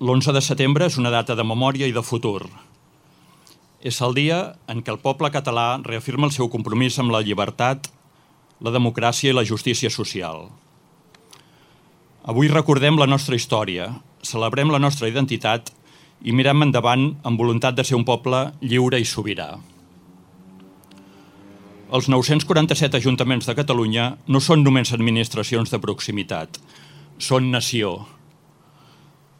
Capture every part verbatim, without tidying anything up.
l'onze de setembre és una data de memòria i de futur. És el dia en què el poble català reafirma el seu compromís amb la llibertat, la democràcia i la justícia social. Avui recordem la nostra història, celebrem la nostra identitat i mirem endavant amb voluntat de ser un poble lliure i sobirà. Els nou-cents quaranta-set ajuntaments de Catalunya no són només administracions de proximitat, són nació.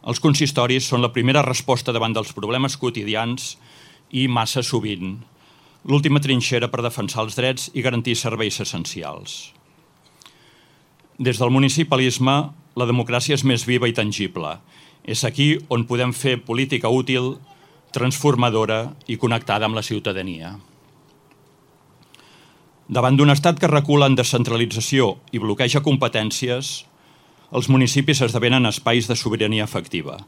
Els consistoris són la primera resposta davant dels problemes quotidians i, massa sovint, l'última trinxera per defensar els drets i garantir serveis essencials. Des del municipalisme, la democràcia és més viva i tangible. És aquí on podem fer política útil, transformadora i connectada amb la ciutadania. Davant d'un estat que recula en descentralització i bloqueja competències, els municipis esdevenen espais de sobirania efectiva.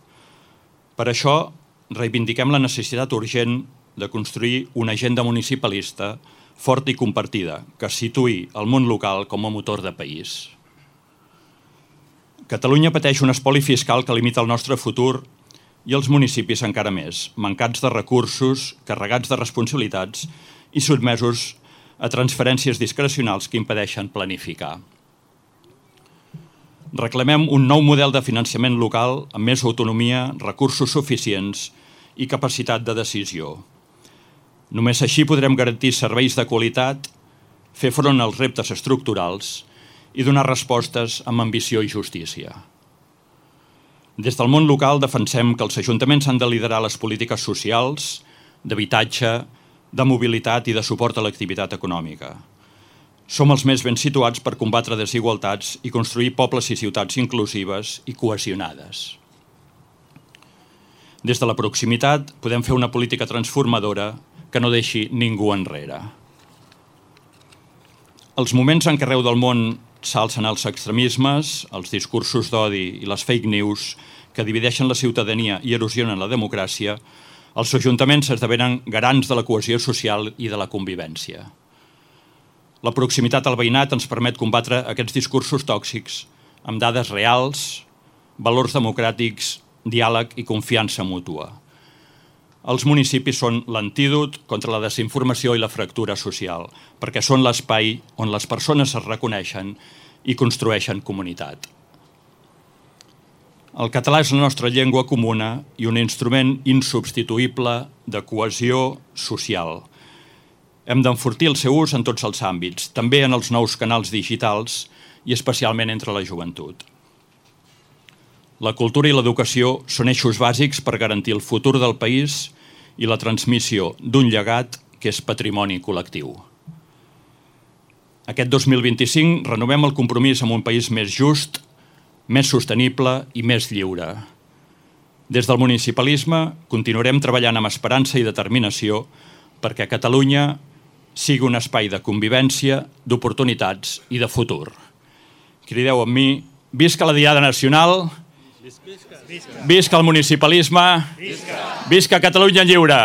Per això, reivindiquem la necessitat urgent de construir una agenda municipalista forta i compartida que situï el món local com a motor de país. Catalunya pateix un espoli fiscal que limita el nostre futur i els municipis encara més, mancats de recursos, carregats de responsabilitats i sotmesos a transferències discrecionals que impedeixen planificar. Reclamem un nou model de finançament local amb més autonomia, recursos suficients i capacitat de decisió. Només així podrem garantir serveis de qualitat, fer front als reptes estructurals i donar respostes amb ambició i justícia. Des del món local defensem que els ajuntaments han de liderar les polítiques socials, d'habitatge, de mobilitat i de suport a l'activitat econòmica. Som els més ben situats per combatre desigualtats i construir pobles i ciutats inclusives i cohesionades. Des de la proximitat podem fer una política transformadora que no deixi ningú enrere. Els moments en què arreu del món s'alcen els extremismes, els discursos d'odi i les fake news que divideixen la ciutadania i erosionen la democràcia, els ajuntaments esdevenen garants de la cohesió social i de la convivència. La proximitat al veïnat ens permet combatre aquests discursos tòxics amb dades reals, valors democràtics, diàleg i confiança mútua. Els municipis són l'antídot contra la desinformació i la fractura social, perquè són l'espai on les persones es reconeixen i construeixen comunitat. El català és la nostra llengua comuna i un instrument insubstituïble de cohesió social. Hem d'enfortir el seu ús en tots els àmbits, també en els nous canals digitals i especialment entre la joventut. La cultura i l'educació són eixos bàsics per garantir el futur del país i la transmissió d'un llegat que és patrimoni col·lectiu. Aquest dos mil vint-i-cinc renovem el compromís amb un país més just, més sostenible i més lliure. Des del municipalisme continuarem treballant amb esperança i determinació perquè Catalunya sigui un espai de convivència, d'oportunitats i de futur. Crideu amb mi, visca la Diada Nacional, visca el municipalisme, visca Catalunya lliure!